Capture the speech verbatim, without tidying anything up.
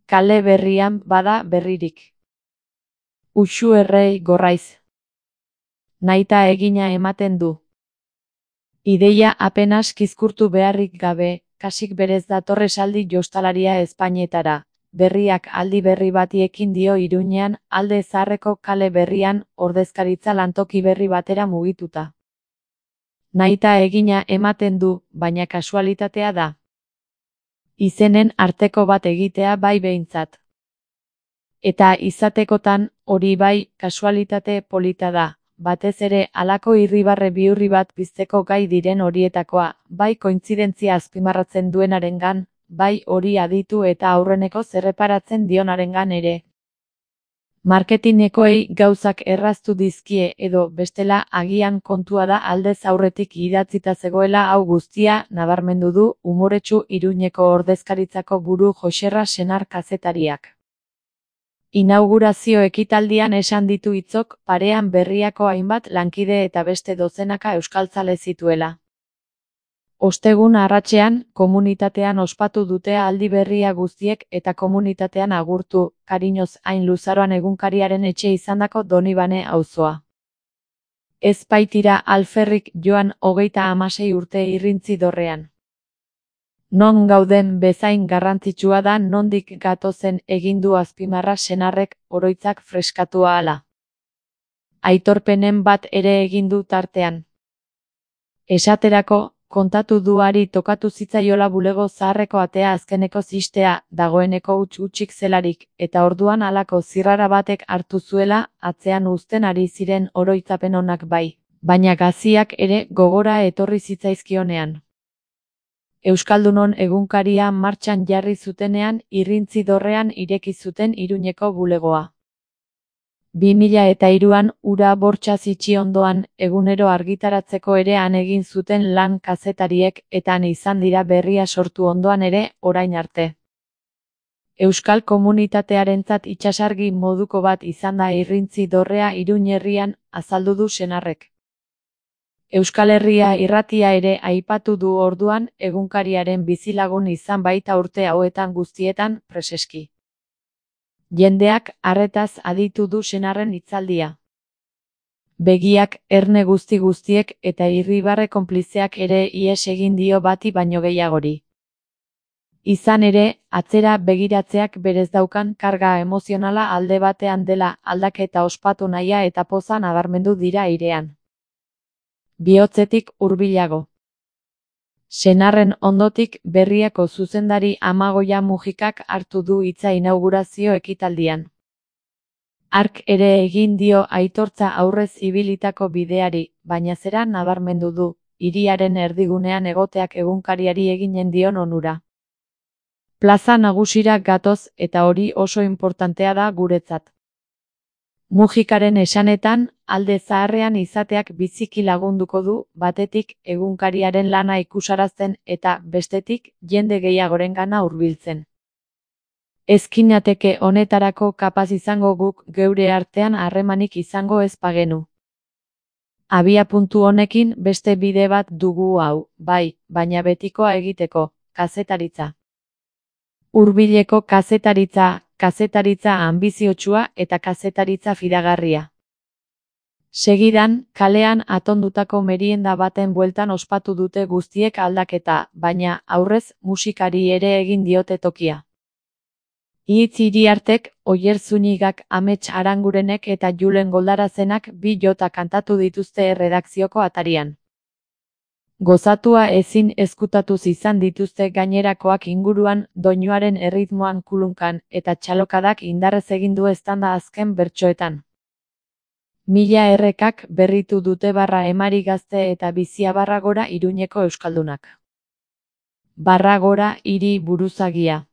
kale berrian bada berririk. Uxu errei gorraiz. Naita egina ematen du. Ideia apenas kizkurtu beharrik gabe, kasik berez dator esaldi jostalaria Espainetara. Berriak aldi berri bati ekin dio Iruñean, alde zaharreko kale berrian, ordezkaritza lantoki berri batera mugituta. Naita egina ematen du, baina kasualitatea da. Izenen arteko bat egitea bai behintzat. Eta izatekotan, hori bai, kasualitate polita da. Batez ere halako irribarre bihurri bat pizteko gai diren horietakoa, bai kointzidentzia azpimarratzen duenarengan, bai hori aditu eta aurreneko zerreparatzen dionarengan ere. Marketinekoei gauzak erraztu dizkie edo bestela agian kontua da aldez aurretik idatzita zegoela hau guztia, nabarmendu du umoretsu Iruñeko ordezkaritzako buru Joxerra Senar kazetariak. Inaugurazio ekitaldian esan ditu hitzok parean berriako hainbat lankide eta beste dozenaka euskaltzale zituela. Ostegun arratsean, komunitatean ospatu dute aldi berria guztiek eta komunitatean agurtu, kariñoz hain luzaroan egunkariaren etxe izandako Donibane auzoa. Ez baitira alferrik joan hogeita hamasei urte irrintzi dorrean. Non gauden bezain garrantzitsua da nondik gatozen egin du azpimarra senarrek oroitzak freskatu ahala. Aitorpenen bat ere egin du tartean. Esaterako, kontatu duari tokatu zitzaiola bulego zaharreko atea azkeneko zistea, dagoeneko huts-hutsik zelarik, eta orduan halako zirrara batek hartu zuela, atzean uzten ari ziren oroitzapen onak bai, baina gaziak ere gogora etorri zitzaizkionean. Euskaldunon egunkaria martxan jarri zutenean irrintzi dorrean ireki zuten Iruñeko bulegoa. bi mila eta hiruan ura bortxaz itxi ondoan egunero argitaratzeko ere han egin zuten lan kazetariek eta han izan dira berria sortu ondoan ere orain arte. Euskal komunitatearentzat itsasargi moduko bat izan da irrintzi dorrea Iruñ herrian, azaldu du senarrek. Euskal Herria irratia ere aipatu du orduan egunkariaren bizilagun izan baita urte hauetan guztietan preseski. Jendeak arretaz aditu du senarren hitzaldia. Begiak, erne guzti guztiek eta irribarre konplizeak ere ihes egin dio bati baino gehiagori. Izan ere, atzera begiratzeak berez daukan karga emozionala alde batean dela aldaketa ospatu nahia eta poza nabarmendu dira airean. Bihotzetik hurbilago. Senarren ondotik berriako zuzendari Amagoia Mujikak hartu du hitza inaugurazio ekitaldian. Hark ere egin dio aitortza aurrez ibilitako bideari, baina zera nabarmendu du, hiriaren erdigunean egoteak egunkariari eginen dion onura. Plaza nagusira gatoz eta hori oso inportantea da guretzat. Mujikaren esanetan, alde zaharrean izateak biziki lagunduko du, batetik egunkariaren lana ikusarazten eta bestetik jende gehiagorengana hurbiltzen. Ezkinateke honetarako kapaz izango guk geure artean harremanik izango ez bagenu. Abia puntu honekin beste bide bat dugu hau, bai, baina betikoa egiteko, kazetaritza. Hurbileko kazetaritza, kazetaritza anbiziotsua eta kazetaritza fidagarria. Segidan, kalean atondutako merienda baten bueltan ospatu dute guztiek aldaketa, baina aurrez musikari ere egin diote tokia. Ihitz Iriartek, Oier Zunigak, Amets Arangurenek eta Julen Goldarazenak bi jota kantatu dituzte erredakzioko atarian. Gozatua ezin ezkutatuz izan dituzte gainerakoak inguruan, doinuaren erritmoan kulunkan eta txalokadak indarrez egin du eztanda azken bertsoetan. Mila errekak berritu dute barra emari gazte eta bizia barra gora Iruñeko euskaldunak. Barra gora hiri buruzagia.